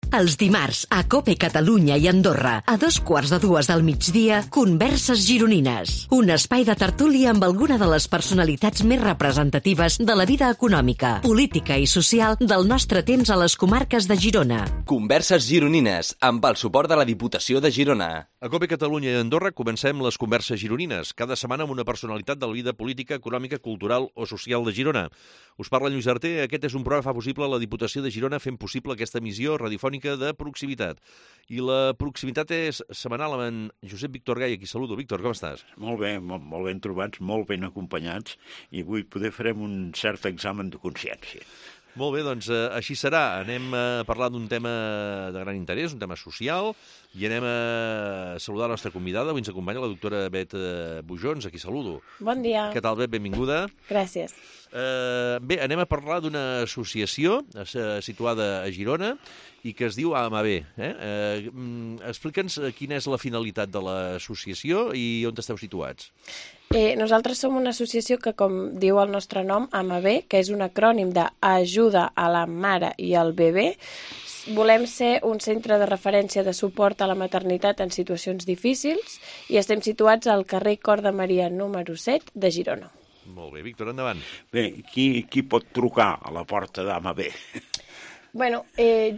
Els dimarts, a COPE Catalunya i Andorra, a 2:15 del migdia, Converses Gironines. Un espai de tertúlia amb alguna de les personalitats més representatives de la vida econòmica, política i social del nostre temps a les comarques de Girona. Converses Gironines, amb el suport de la Diputació de Girona. A COPE Catalunya i Andorra comencem les Converses Gironines, cada setmana amb una personalitat de la vida política, econòmica, cultural o social de Girona. Us parla Lluís Arter. Aquest és un programa que fa possible la Diputació de Girona fent possible aquesta emissió radiofònica de proximitat. I la proximitat és setmanal amb en Josep Víctor Gai, a qui saludo. Víctor, com estàs? Molt bé, molt ben trobats, molt ben acompanyats, i avui poder farem un cert examen de consciència. Molt bé, doncs així serà. Anem a parlar d'un tema de gran interès, un tema social, i anem a saludar la nostra convidada. Avui ens acompanya la doctora Bet Bujons, a qui saludo. Bon dia. Què tal, Bet? Benvinguda. Gràcies. Bé, anem a parlar d'una associació situada a Girona i que es diu AMAB. Explica'ns quina és la finalitat de l'associació i on esteu situats. Nosaltres som una associació que, com diu el nostre nom, AMAB, que és un acrònim d'Ajuda a la Mare i al Bebè. Volem ser un centre de referència de suport a la maternitat en situacions difícils i estem situats al carrer Cor de Maria número 7 de Girona. Molt bé, Víctor, endavant. Bé, qui pot trucar a la porta d'AMAB? Bueno,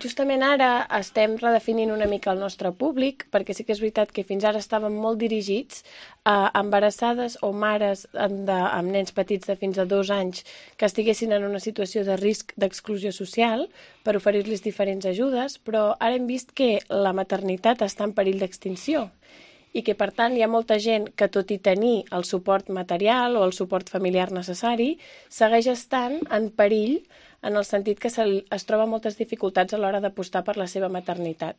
justament ara estem redefinint una mica el nostre públic, perquè sí que és veritat que fins ara estàvem molt dirigits a embarassades o mares amb nens petits de fins a 2 anys que estiguessin en una situació de risc d'exclusió social per oferir-los diferents ajudes, però ara hem vist que la maternitat està en perill d'extinció i que, per tant, hi ha molta gent que, tot i tenir el suport material o el suport familiar necessari, segueix estant en perill en el sentit que es troba moltes dificultats a l'hora d'apostar per la seva maternitat.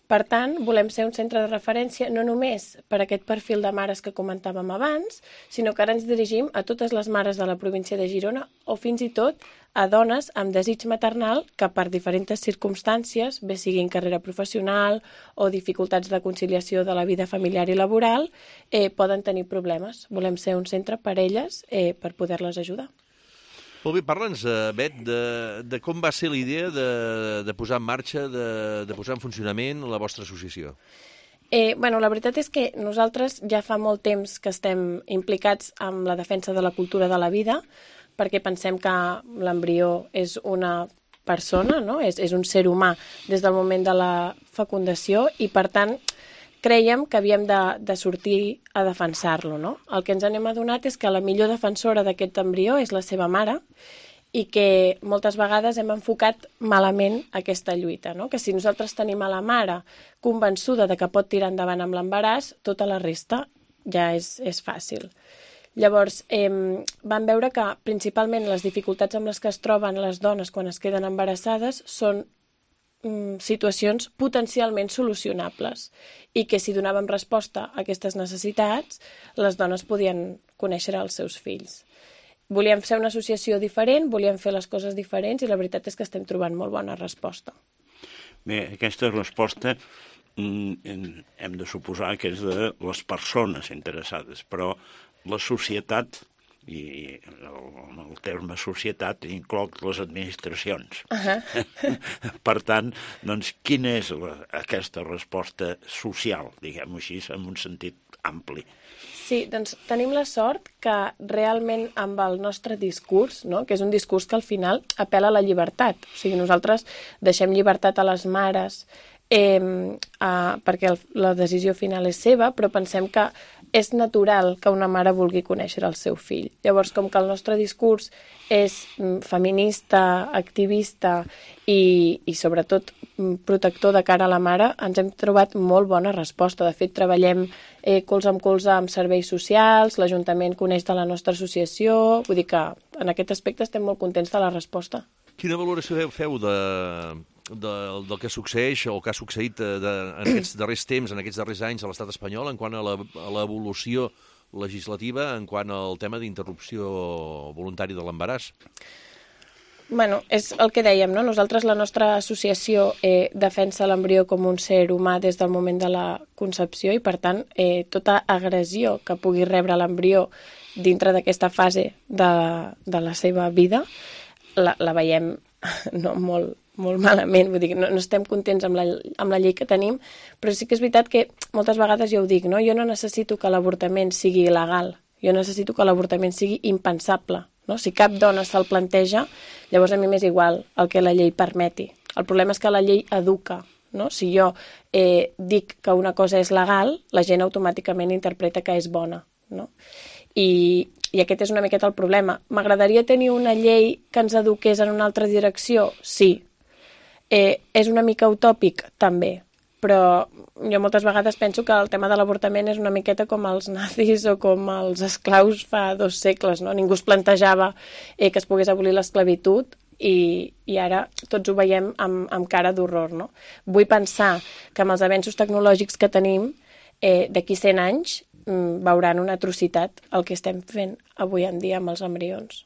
Per tant, volem ser un centre de referència no només per aquest perfil de mares que comentàvem abans, sinó que ara ens dirigim a totes les mares de la província de Girona o fins i tot a dones amb desig maternal que per diferents circumstàncies, bé siguin carrera professional o dificultats de conciliació de la vida familiar i laboral, poden tenir problemes. Volem ser un centre per elles per poder-les ajudar. Molt bé, parla'ns, Bet, de com va ser la idea de posar en marxa, de posar en funcionament la vostra associació. La veritat és que nosaltres ja fa molt temps que estem implicats en la defensa de la cultura de la vida, perquè pensem que l'embrió és una persona, no? És un ser humà des del moment de la fecundació i, per tant, creiem que havíem de sortir a defensar-lo, no? El que ens hem adonat és que la millor defensora d'aquest embrió és la seva mare i que moltes vegades hem enfocat malament aquesta lluita, no? Que si nosaltres tenim a la mare convençuda de que pot tirar endavant amb l'embaràs, tota la resta ja és fàcil. Llavors, vam veure que principalment les dificultats amb les que es troben les dones quan es queden embarassades són situacions potencialment solucionables i que si donàvem resposta a aquestes necessitats, les dones podien conèixer els seus fills. Volíem ser una associació diferent, volíem fer les coses diferents i la veritat és que estem trobant molt bona resposta. Bé, aquesta resposta hem de suposar que és de les persones interessades, però la societat, i el terme societat inclou les administracions. Per tant, doncs, quina és aquesta resposta social, diguem-ho així, en un sentit ampli? Sí, doncs tenim la sort que realment amb el nostre discurs, no? Que és un discurs que al final apel·la a la llibertat. O sigui, nosaltres deixem llibertat a les mares perquè la decisió final és seva, però pensem que és natural que una mare vulgui conèixer el seu fill. Llavors, com que el nostre discurs és feminista, activista i sobretot protector de cara a la mare, ens hem trobat molt bona resposta. De fet, treballem colze amb colze amb serveis socials, l'Ajuntament coneix de la nostra associació, vull dir que en aquest aspecte estem molt contents de la resposta. Quina valoració feu del que succeeix o que ha succeït en aquests darrers temps, en aquests darrers anys a l'estat espanyol en quant a l'evolució legislativa, en quant al tema d'interrupció voluntària de l'embaràs? Bueno, és el que dèiem, no? Nosaltres, la nostra associació defensa l'embrió com un ser humà des del moment de la concepció i, per tant, tota agressió que pugui rebre l'embrió dintre d'aquesta fase de la seva vida la veiem no, molt, molt malament, vull dir, no estem contents amb la llei que tenim, però sí que és veritat que moltes vegades jo ho dic, no? Jo no necessito que l'avortament sigui il·legal, jo necessito que l'avortament sigui impensable, no? Si cap dona se'l planteja, llavors a mi m'és igual el que la llei permeti. El problema és que la llei educa, no? Si jo dic que una cosa és legal, la gent automàticament interpreta que és bona, no? I aquest és una miqueta el problema. M'agradaria tenir una llei que ens eduqués en una altra direcció? Sí. És una mica utòpic? També. Però jo moltes vegades penso que el tema de l'avortament és una miqueta com els nazis o com els esclaus fa 2 segles, no? Ningú es plantejava que es pogués abolir l'esclavitud i ara tots ho veiem amb cara d'horror, no? Vull pensar que amb els avenços tecnològics que tenim, d'aquí 100 anys, veuran una atrocitat el que estem fent avui en dia amb els embrions.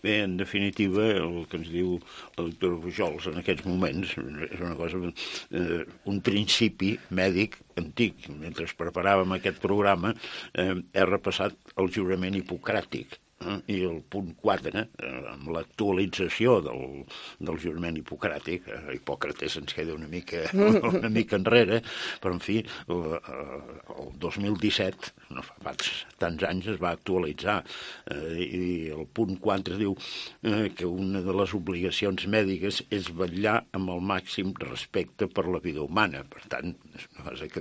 Bé, en definitiva, el que ens diu la doctora Pujols en aquests moments és una cosa, un principi mèdic antic. Mentre preparàvem aquest programa, he repassat el jurament hipocràtic, i el punt 4, amb l'actualització del jurament hipocràtic, Hipòcrates ens queda una mica enrere, però en fi, el 2017, no fa tants anys, es va actualitzar, i el punt 4 diu que una de les obligacions mèdiques és vetllar amb el màxim respecte per la vida humana. Per tant, és una cosa que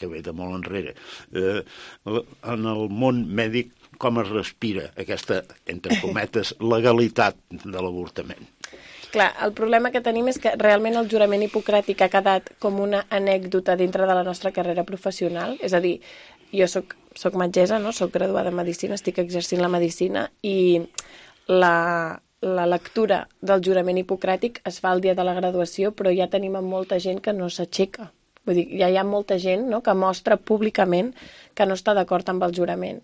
ve de molt enrere. En el món mèdic, com es respira aquesta, entre cometes, legalitat de l'avortament? Clar, el problema que tenim és que realment el jurament hipocràtic ha quedat com una anècdota dintre de la nostra carrera professional. És a dir, jo soc metgessa, no? Soc graduada en Medicina, estic exercint la Medicina i la lectura del jurament hipocràtic es fa el dia de la graduació, però ja tenim molta gent que no s'aixeca. Vull dir, ja hi ha molta gent, no?, que mostra públicament que no està d'acord amb el jurament.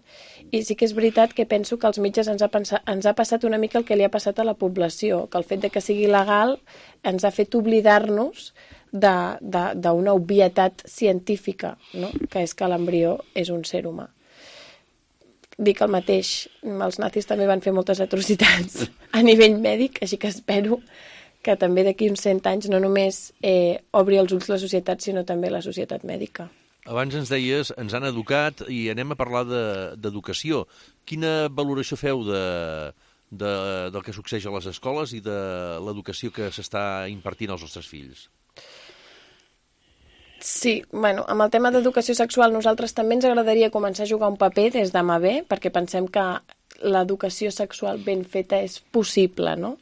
I sí que és veritat que penso que als metges ens ha passat una mica el que li ha passat a la població, que el fet de que sigui legal ens ha fet oblidar-nos d'una obvietat científica, no?, que és que l'embrió és un ser humà. Dic el mateix, els nazis també van fer moltes atrocitats a nivell mèdic, així que espero que també d'aquí uns 100 anys no només obri els ulls la societat, sinó també la societat mèdica. Abans ens deies, ens han educat i anem a parlar d'educació. Quina valoració feu del que succeeix a les escoles i de l'educació que s'està impartint als nostres fills? Sí, bueno, amb el tema d'educació sexual nosaltres també ens agradaria començar a jugar un paper des de mà bé, perquè pensem que l'educació sexual ben feta és possible, no?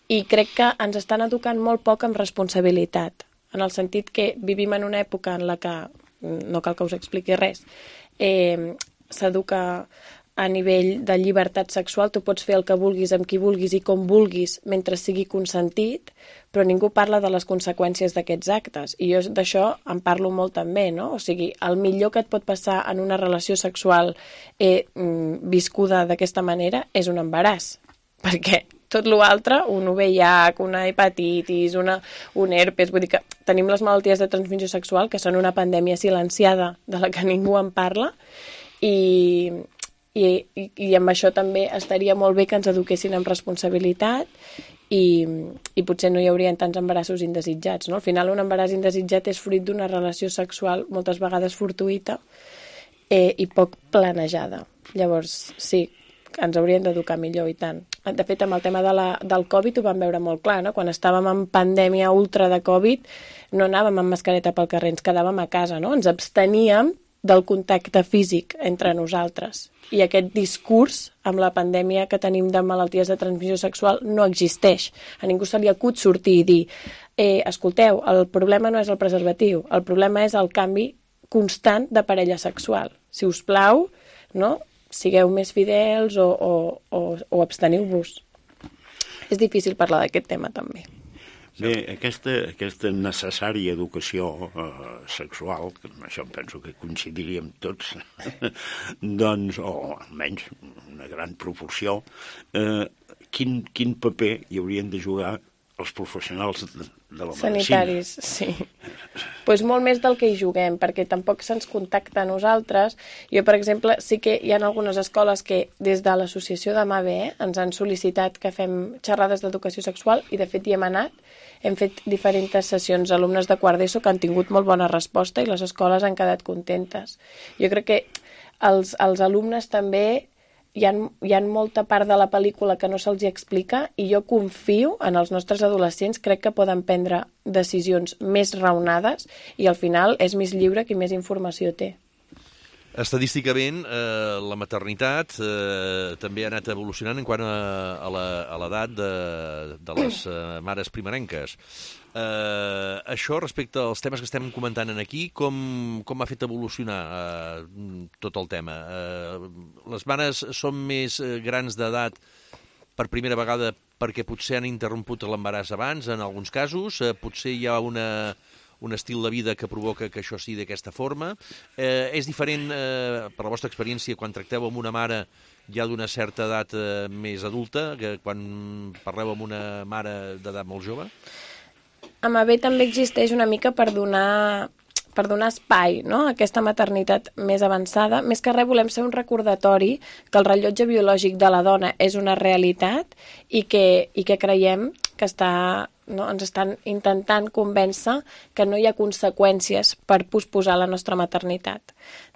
I crec que ens estan educant molt poc amb responsabilitat, en el sentit que vivim en una època en la que, no cal que us expliqui res, s'educa a nivell de llibertat sexual, tu pots fer el que vulguis, amb qui vulguis i com vulguis, mentre sigui consentit, però ningú parla de les conseqüències d'aquests actes. I jo d'això en parlo molt també, no? O sigui, el millor que et pot passar en una relació sexual viscuda d'aquesta manera és un embaràs, perquè tot l'altre, un VIH, una hepatitis, un herpes, vull dir que tenim les malalties de transmissió sexual que són una pandèmia silenciada de la que ningú en parla i amb això també estaria molt bé que ens eduquessin amb responsabilitat i potser no hi haurien tants embarassos indesitjats, no? Al final un embaràs indesitjat és fruit d'una relació sexual moltes vegades fortuïta i poc planejada. Llavors, sí, ens haurien d'educar millor i tant. De fet, amb el tema del Covid ho vam veure molt clar, no? Quan estàvem en pandèmia ultra de Covid no anàvem amb mascareta pel carrer, ens quedàvem a casa, no? Ens absteníem del contacte físic entre nosaltres. I aquest discurs amb la pandèmia que tenim de malalties de transmissió sexual no existeix. A ningú se li acut sortir i dir escolteu, el problema no és el preservatiu, el problema és el canvi constant de parella sexual. Si us plau, no?, sigueu més fidels o absteniu-vos. És difícil parlar d'aquest tema també. Bé, aquesta necessària educació sexual, que amb això penso que coincidiríem tots, doncs, o almenys una gran proporció, quin paper hi haurien de jugar els professionals de la medicina. Sanitaris, sí. Pues molt més del que hi juguem, perquè tampoc se'ns contacta a nosaltres. Jo, per exemple, sí que hi ha algunes escoles que des de l'associació de MABE ens han sol·licitat que fem xerrades d'educació sexual i de fet hi hem anat. Hem fet diferents sessions alumnes de quart d'ESO que han tingut molt bona resposta i les escoles han quedat contentes. Jo crec que els alumnes també hi ha molta part de la pel·lícula que no se'ls explica i jo confio en els nostres adolescents, crec que poden prendre decisions més raonades i al final és més lliure qui més informació té. Estadísticament, la maternitat també ha anat evolucionant en quant a l'edat de les mares primerenques. Això, respecte als temes que estem comentant aquí, com ha fet evolucionar tot el tema? Les mares són més grans d'edat per primera vegada perquè potser han interromput l'embaràs abans, en alguns casos, potser hi ha un estil de vida que provoca que això sigui d'aquesta forma. És diferent, per la vostra experiència, quan tracteu amb una mare ja d'una certa edat més adulta, que quan parleu amb una mare d'edat molt jove? A MABE també existeix una mica per donar espai, no?, a aquesta maternitat més avançada. Més que res volem ser un recordatori que el rellotge biològic de la dona és una realitat i que creiem que ens estan intentant convèncer que no hi ha conseqüències per posposar la nostra maternitat.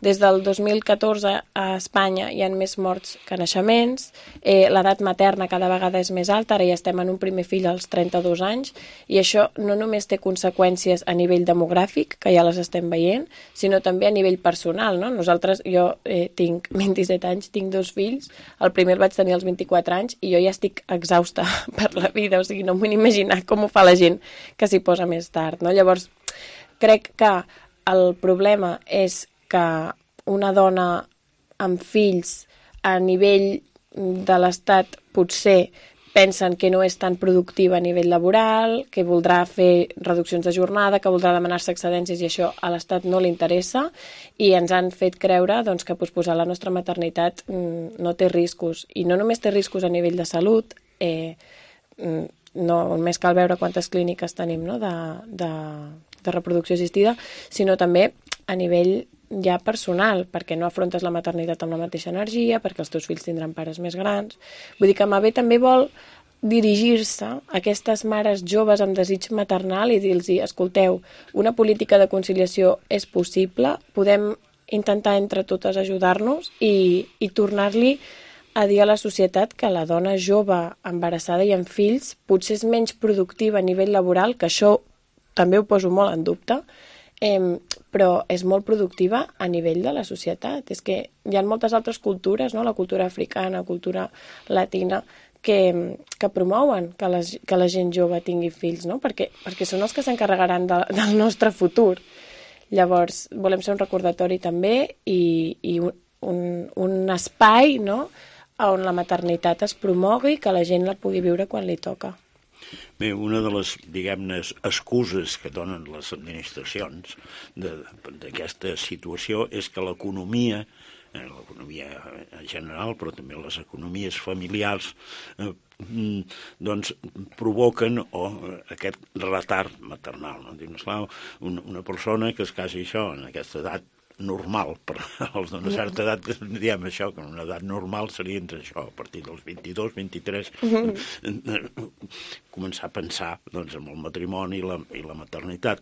Des del 2014 a Espanya hi ha més morts que naixements, l'edat materna cada vegada és més alta, ara ja estem en un primer fill als 32 anys, i això no només té conseqüències a nivell demogràfic, que ja les estem veient, sinó també a nivell personal, no? Jo tinc 27 anys, tinc 2 fills, el primer el vaig tenir als 24 anys i jo ja estic exhausta per la vida, o sigui, no em vull imaginar com ho fa la gent que s'hi posa més tard, no? Llavors, crec que el problema és que una dona amb fills a nivell de l'Estat potser pensen que no és tan productiva a nivell laboral, que voldrà fer reduccions de jornada, que voldrà demanar-se excedències i això a l'Estat no li interessa i ens han fet creure doncs, que posposar la nostra maternitat no té riscos. I no només té riscos a nivell de salut, no només cal veure quantes clíniques tenim, no?, de reproducció assistida, sinó també a nivell ja personal, perquè no afrontes la maternitat amb la mateixa energia, perquè els teus fills tindran pares més grans. Vull dir que MABE també vol dirigir-se a aquestes mares joves amb desig maternal i dir-los: escolteu, una política de conciliació és possible, podem intentar entre totes ajudar-nos i tornar-li a dir a la societat que la dona jove, embarassada i amb fills potser és menys productiva a nivell laboral, que això també ho poso molt en dubte, però és molt productiva a nivell de la societat. És que hi ha moltes altres cultures, no?, la cultura africana, la cultura latina, que promouen que la gent jove tingui fills, no?, perquè són els que s'encarregaran del nostre futur. Llavors, volem ser un recordatori també i un espai, no?, on la maternitat es promogui, que la gent la pugui viure quan li toca. Bé, una de les, diguem-ne, excuses que donen les administracions d'aquesta situació és que l'economia en general, però també les economies familiars, doncs provoquen aquest retard maternal. No? Dius, clar, una persona que es casi això en aquesta edat normal, per als d'una certa edat que diem això, que una edat normal seria entre això, a partir dels 22, 23, començar a pensar doncs, en el matrimoni i la maternitat.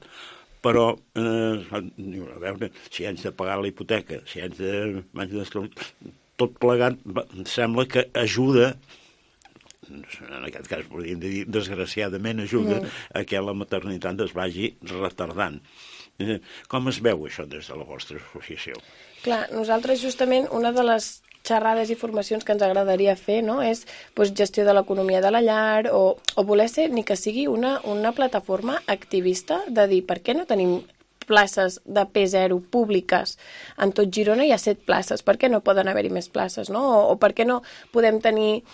Però, a veure, si haig de pagar la hipoteca, si haig de... tot plegat, sembla que ajuda, en aquest cas podríem dir desgraciadament ajuda a que la maternitat es vagi retardant. Com es veu això des de la vostra associació? Clar, nosaltres justament una de les xerrades i formacions que ens agradaria fer, no?, és gestió de l'economia de la llar o voler ser, ni que sigui una plataforma activista de dir per què no tenim places de P0 públiques en tot Girona, hi ha 7 places, per què no poden haver-hi més places, no? O per què no podem tenir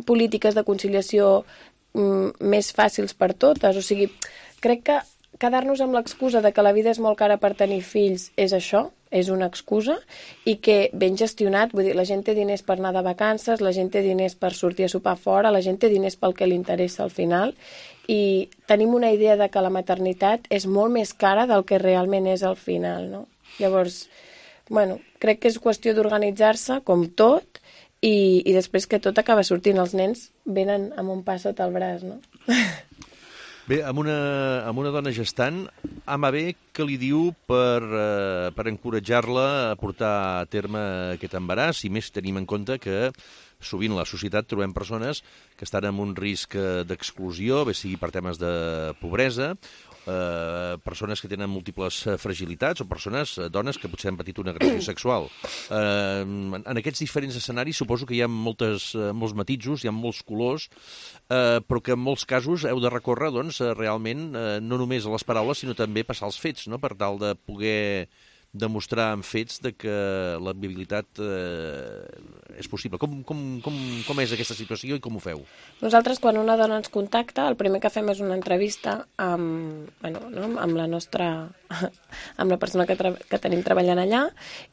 polítiques de conciliació més fàcils per totes? O sigui, crec que quedar-nos amb l'excusa de que la vida és molt cara per tenir fills és això, és una excusa, i que ben gestionat, vull dir, la gent té diners per anar de vacances, la gent té diners per sortir a sopar fora, la gent té diners pel que li interessa al final, i tenim una idea de que la maternitat és molt més cara del que realment és al final, no? Llavors, bueno, crec que és qüestió d'organitzar-se, com tot, i després que tot acaba sortint. Els nens venen amb un pa sota el braç, no? Bé, amb una dona gestant, Ama bé, què li diu per encoratjar-la a portar a terme aquest embaràs, i més tenim en compte que sovint a la societat trobem persones que estan en un risc d'exclusió, bé sigui per temes de pobresa, persones que tenen múltiples fragilitats o persones, dones que potser han patit una agressió sexual. En aquests diferents escenaris suposo que hi ha molts matisos, hi ha molts colors, però que en molts casos heu de recórrer doncs, realment no només a les paraules sinó també passar als fets, no? Per tal de poder demostrar amb fets de que la viabilitat és possible. Com és aquesta situació i com ho feu? Nosaltres, quan una dona ens contacta, el primer que fem és una entrevista amb la persona que tenim treballant allà,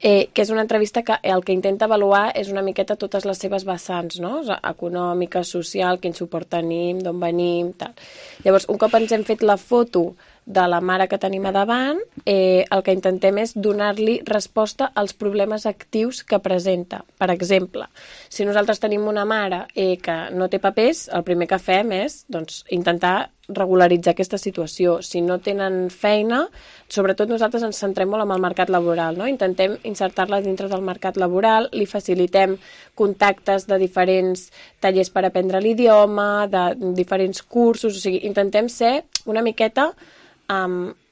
que és una entrevista que el que intenta avaluar és una miqueta totes les seves vessants, no? Econòmica, social, quin suport tenim, d'on venim, tal. Llavors, un cop ens hem fet la foto de la mare que tenim a davant, el que intentem és donar-li resposta als problemes actius que presenta. Per exemple, si nosaltres tenim una mare que no té papers, el primer que fem és intentar regularitzar aquesta situació. Si no tenen feina, sobretot nosaltres ens centrem molt en el mercat laboral, no? Intentem insertar-la dintre del mercat laboral, li facilitem contactes de diferents tallers per aprendre l'idioma, de diferents cursos, o sigui, intentem ser una miqueta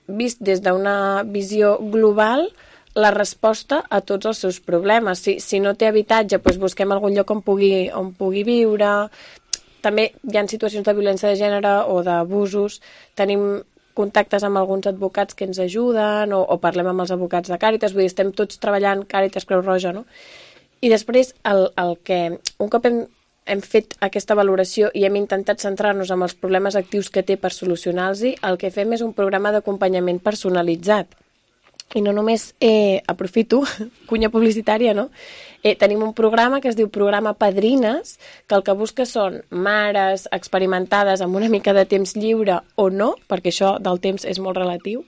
vist des d'una visió global la resposta a tots els seus problemes. Si no té habitatge, doncs busquem algun lloc on pugui viure. També hi ha situacions de violència de gènere o d'abusos. Tenim contactes amb alguns advocats que ens ajuden o parlem amb els advocats de Càritas. Vull dir, estem tots treballant Càritas, Creu Roja, no? I després, un cop hem fet aquesta valoració i hem intentat centrar-nos en els problemes actius que té per solucionar-los, el que fem és un programa d'acompanyament personalitzat. I no només aprofito, cunya publicitària, no? Tenim un programa que es diu Programa Padrines, que el que busca són mares experimentades amb una mica de temps lliure o no, perquè això del temps és molt relatiu,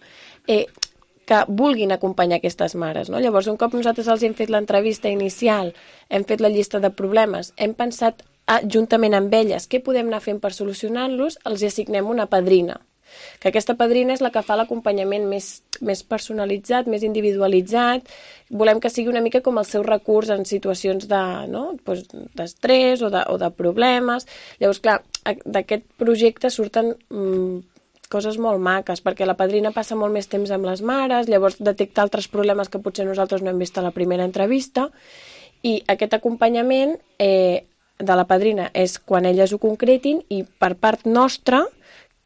que vulguin acompanyar aquestes mares, no? Llavors, un cop nosaltres els hem fet l'entrevista inicial, hem fet la llista de problemes, hem pensat juntament amb elles què podem anar fent per solucionar-los, els assignem una padrina. Que aquesta padrina és la que fa l'acompanyament més personalitzat, més individualitzat. Volem que sigui una mica com el seu recurs en situacions d'estrès o de problemes. Llavors, clar, d'aquest projecte surten coses molt maques, perquè la padrina passa molt més temps amb les mares, llavors detecta altres problemes que potser nosaltres no hem vist a la primera entrevista, i aquest acompanyament de la padrina és quan elles ho concretin, i per part nostra,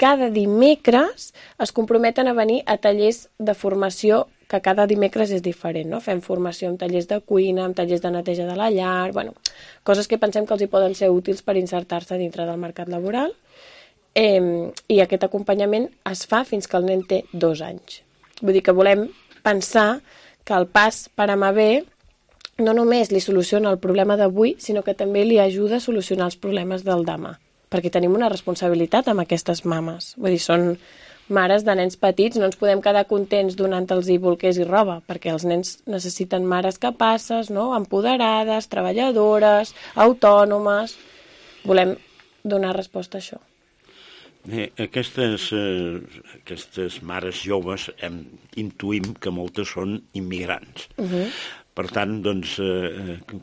cada dimecres es comprometen a venir a tallers de formació, que cada dimecres és diferent, no? Fem formació en tallers de cuina, en tallers de neteja de la llar, coses que pensem que els hi poden ser útils per insertar-se dintre del mercat laboral. I aquest acompanyament es fa fins que el nen té 2 anys. Vull dir que volem pensar que el pas per Ama bé no només li soluciona el problema d'avui, sinó que també li ajuda a solucionar els problemes del demà, perquè tenim una responsabilitat amb aquestes mames. Vull dir, són mares de nens petits, no ens podem quedar contents donant-los bolquers i roba, perquè els nens necessiten mares capaces, no? Empoderades, treballadores, autònomes. Volem donar resposta a això. Bé, aquestes mares joves intuïm que moltes són immigrants. Per tant, doncs,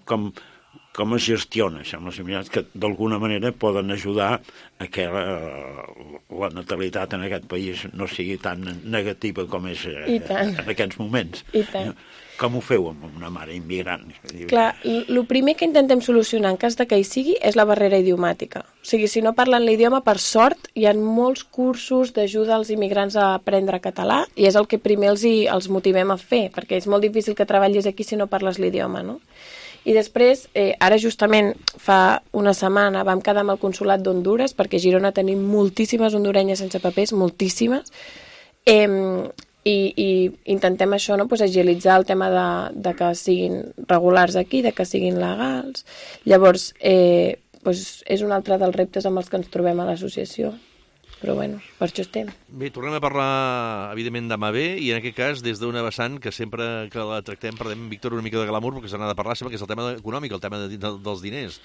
com es gestiona això amb les immigrants, que d'alguna manera poden ajudar a que la natalitat en aquest país no sigui tan negativa com és en aquests moments. I tant. Com ho feu amb una mare immigrant? Clar, el primer que intentem solucionar en cas de que hi sigui és la barrera idiomàtica. O sigui, si no parlen l'idioma, per sort, hi ha molts cursos d'ajuda als immigrants a aprendre català, i és el que primer els motivem a fer, perquè és molt difícil que treballis aquí si no parles l'idioma, no? I després, ara justament fa una setmana vam quedar amb el consolat d'Honduras, perquè a Girona tenim moltíssimes hondurenyes sense papers, moltíssimes, I intentem això, no? Pues agilitzar el tema de que siguin regulars aquí, de que siguin legals. Llavors, pues és un altre dels reptes amb els que ens trobem a l'associació. Però bueno, per això estem. Bé, tornem a parlar, evidentment, d'AMAB, i en aquest cas des d'una vessant que sempre que la tractem perdem, Víctor, una mica de glamour, perquè se n'ha de parlar sempre, que és el tema econòmic, el tema dels diners.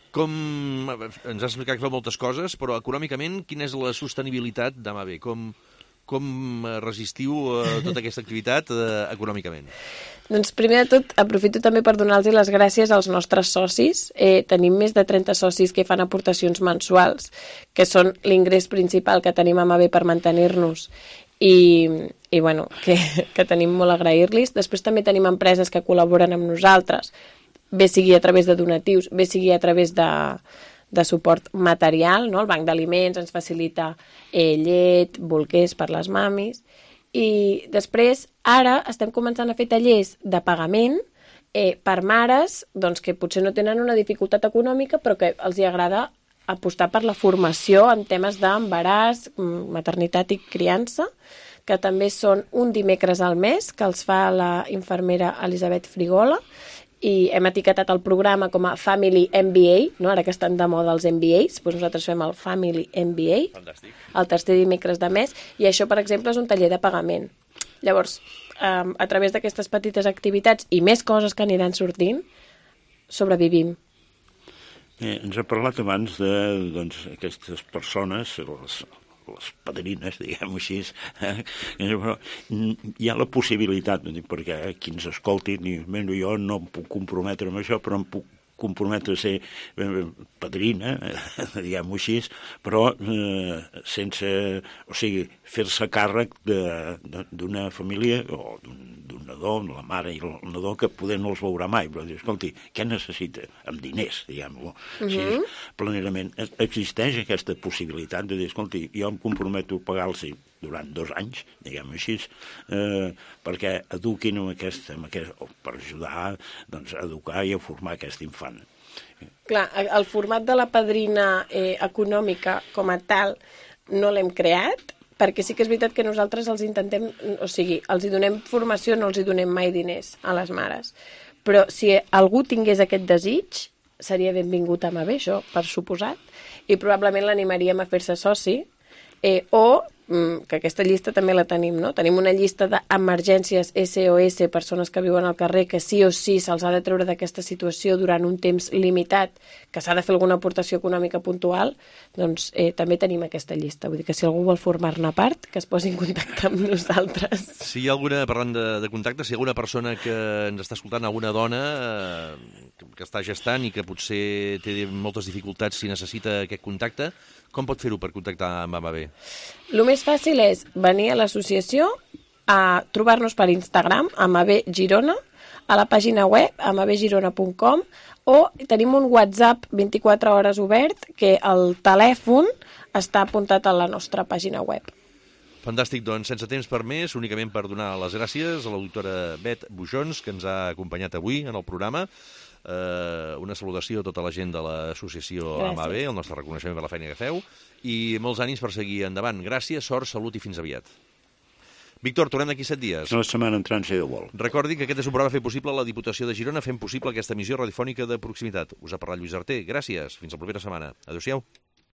Com ens has explicat que fa moltes coses, però econòmicament, quina és la sostenibilitat d'AMAB? Com resistiu tota aquesta activitat econòmicament? Doncs primer de tot aprofito també per donar-los les gràcies als nostres socis. Tenim més de 30 socis que fan aportacions mensuals, que són l'ingrés principal que tenim a AMAB per mantenir-nos i bueno, que tenim molt a agrair-los. Després també tenim empreses que col·laboren amb nosaltres, bé sigui a través de donatius, bé sigui a través de suport material, no? El banc d'aliments ens facilita llet, bolquers per les mamis. I després, ara, estem començant a fer tallers de pagament per mares doncs, que potser no tenen una dificultat econòmica, però que els hi agrada apostar per la formació en temes d'embaràs, maternitat i criança, que també són un dimecres al mes, que els fa la infermera Elisabet Frigola, i hem etiquetat el programa com a Family MBA, no? Ara que estan de moda els MBAs, doncs nosaltres fem el Family MBA, Fantàstic. El tercer dimecres de mes, i això, per exemple, és un taller de pagament. Llavors, a través d'aquestes petites activitats i més coses que aniran sortint, sobrevivim. Ens ha parlat abans de aquestes persones, les padrines, diguem-ho així, però hi ha la possibilitat, perquè qui ens escolti, jo no em puc comprometre amb això, però em puc comprometre a ser padrina, diguem-ho així, però sense, o sigui, fer-se càrrec d'una família o d'un nadó, la mare i el nadó, que poder no els veurà mai, però dir, escolti, què necessita? Amb diners, diguem-ho. Planerament, existeix aquesta possibilitat de dir, escolti, jo em comprometo a pagar-los durant 2 anys, diguem-ho així, perquè eduquin per ajudar a educar i a formar aquest infant. Clar, el format de la padrina econòmica com a tal no l'hem creat, perquè sí que és veritat que nosaltres els intentem, o sigui, els hi donem formació, no els hi donem mai diners a les mares. Però si algú tingués aquest desig, seria benvingut a AMAB, això, per suposat, i probablement l'animaríem a fer-se soci, o que aquesta llista també la tenim, no? Tenim una llista d'emergències SOS, persones que viuen al carrer, que sí o sí se'ls ha de treure d'aquesta situació durant un temps limitat, que s'ha de fer alguna aportació econòmica puntual, doncs també tenim aquesta llista. Vull dir que si algú vol formar-ne part, que es posi en contacte amb nosaltres. Si hi ha alguna, parlant de contacte, si hi ha alguna persona que ens està escoltant, alguna dona que està gestant i que potser té moltes dificultats si necessita aquest contacte, com pot fer-ho per contactar amb AMAB? El més fàcil és venir a l'associació, a trobar-nos per Instagram, AMAB Girona, a la pàgina web, amabgirona.com, o tenim un WhatsApp 24 hores obert, que el telèfon està apuntat a la nostra pàgina web. Fantàstic, doncs, sense temps per més, únicament per donar les gràcies a la doctora Bet Bujons, que ens ha acompanyat avui en el programa. Una salutació a tota la gent de l'associació AMAB, el nostre reconeixement per la feina que feu, i molts ànims per seguir endavant. Gràcies, sort, salut i fins aviat. Víctor, tornem d'aquí 7 dies. La setmana entrant, si Déu vol. Recordi que aquest és un programa fet possible a la Diputació de Girona, fent possible aquesta emissió radiofònica de proximitat. Us ha parlat Lluís Arter. Gràcies. Fins la propera setmana. Adéu-siau.